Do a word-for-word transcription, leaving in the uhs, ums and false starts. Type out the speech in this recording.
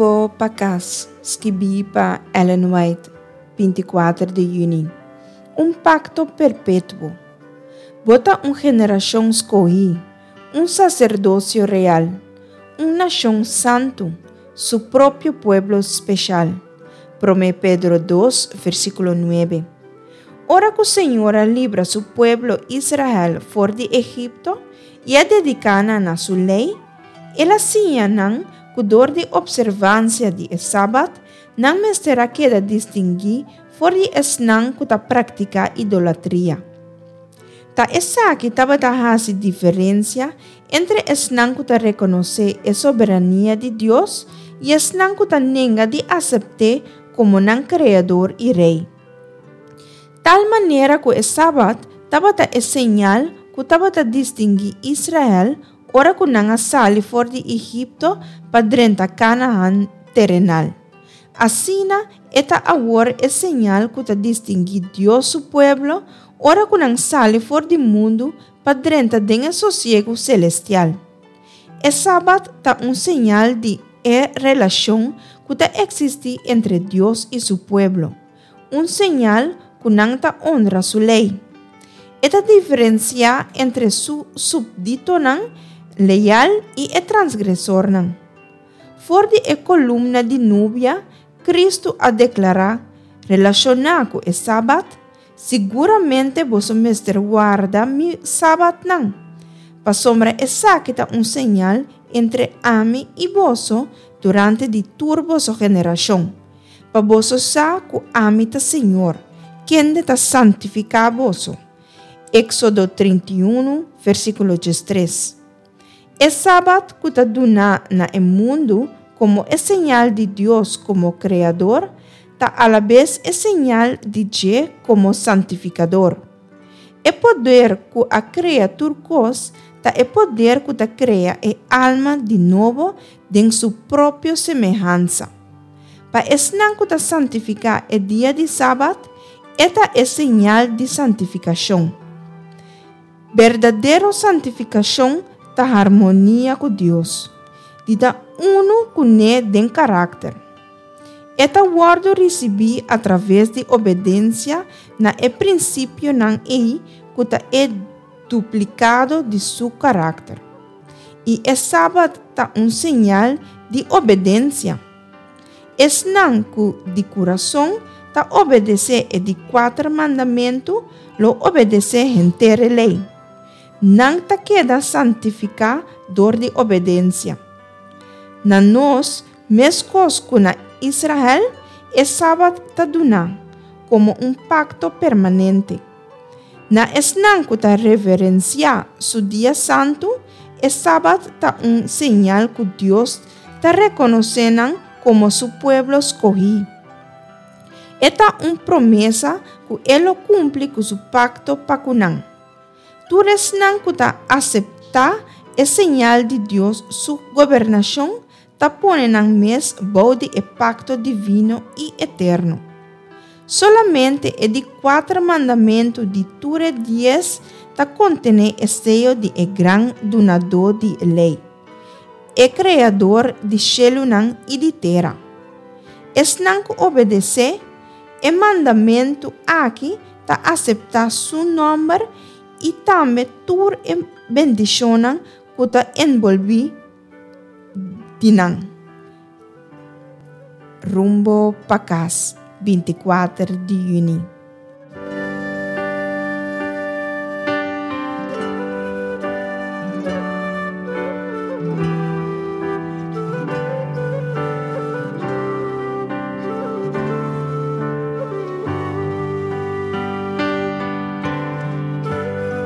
Rumbo pa Kas, skibí pa Ellen White, binti kuater di yüni. Un pakto perpetuo. Bo ta un generashon skohí, un saserdosio real, un nashon santu, su propio pueblo speshal. Promé Pedro dos, versíkulo nuebe. Ora ku Señor a libra su pueblo Israel for di Egipto i a dediká nan na su lei, el a siña nan ku dor di opservansia di e Sabat, nan mester a keda distinguí for di esnan ku ta praktiká idolatria. Ta esaki tabata hasi diferensia entre esnan ku ta rekonosé e soberania di Dios i esnan ku ta nenga di asept'é komo nan Kreador i Rei. Tal manera ku e Sabat tabata e señal ku tabata distinguí Israel ora ku nan a sali for di Egipto pa drenta Kanahan terenal. Asina e ta awor e señal ku ta distinguí Dios su pueblo ora ku nan sali for di mundu pa drenta den e sosiegu selestial. E Sabat ta un señal di e relashon ku ta eksistí entre Dios i su pueblo, un señal ku nan ta honra su lei. E ta diferensiá entre su súpditonan leal i e transgresornan. For di e kolumna di nubia, Kristu a deklará, relashoná ku e Sabat, Siguramente boso mester warda mi Sabatnan, pasobra esaki ta un señal entre ami i boso durante di tur boso generashon, pa boso sa ku ami ta Señor, kende ta santifiká boso. Éksodo trinta i unu, versíkulo diestres. E Sabat ku ta duna na e mundu komo e señal di Dios komo Kreador, ta alabes e señal di dje komo Santifikador. E poder ku a krea tur kos ta e poder ku ta krea e alma di nobo den su propio semehansa. Pa esnan ku ta santifiká e dia di Sabat, e ta e señal di santifikashon. Berdadero santifikashon ta harmonia ku Dios, di ta unu kuné den karakter. E ta wòrdu risibí atraves di obedensia na e prinsipionan ei ku ta e duplikado di su karakter. I e Sabat ta un señal di obedensia. Esnan ku di kurason ta obedesé e di kuater mandamentu lo obedesé henter e lei. Nan ta keda santifiká dor di obedensia. Na nos, meskos ku na Israel, e Sabat ta duná komo un pakto permanente. Na esnan ku ta reverensiá su dia santu, e Sabat ta un señal ku Dios ta rekonosé nan komo su pueblo skohí. E ta un promesa ku e lo kumpli ku su pakto pa ku nan. Tur esnan ku ta aseptá e señal di Dios su gobernashon ta pone nan mes bou di e pakto divino i eterno. Solamente e di kuater mandamentu di tur e dies ta kontené e seyo di e gran Dunadó di e Lei, e Kreador di shelunan i di tera. Esnan ku obedesé e mandamentu aki ta aseptá su nòmber i tambe tur e bendishonnan ku ta enbolbí di nan. Rumbo pa kas, binti kuater di yüni.